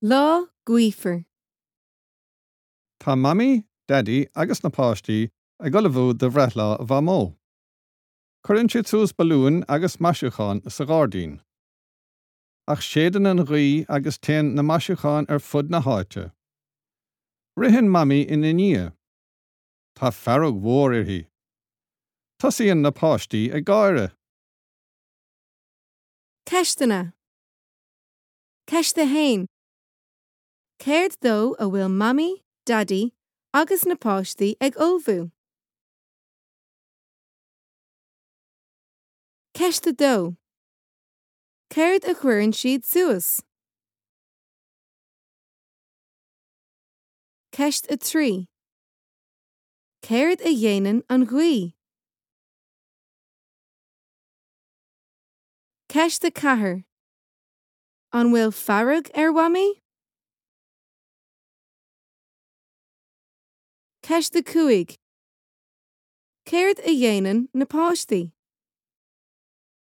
Lá gaofar. Tá Mamaí, Daidí agus na páistí ag ullmhú do bhreithlá Mhamó. Cuireann siad suas balúin agus maisiúcháin sa ghairdín. Ach séideann an ghaoth agus téann na maisiúcháin ar fud na háite. Ritheann Mamaí ina ndiaidh. Tá fearg mhór uirthi. Tosaíonn na páistí ag gáire. Ceisteanna. Ceist 1. Céard dó a bhfuil Mamaí, Daidí agus na páistí ag ullmhú? Ceist 2. Céard a chuireann siad suas? Ceist 3. Céard a dhéanann an ghaoth? Ceist 4. An bhfuil fearg ar Mhamaí? Ceist 5. Céard a dhéanann na páistí?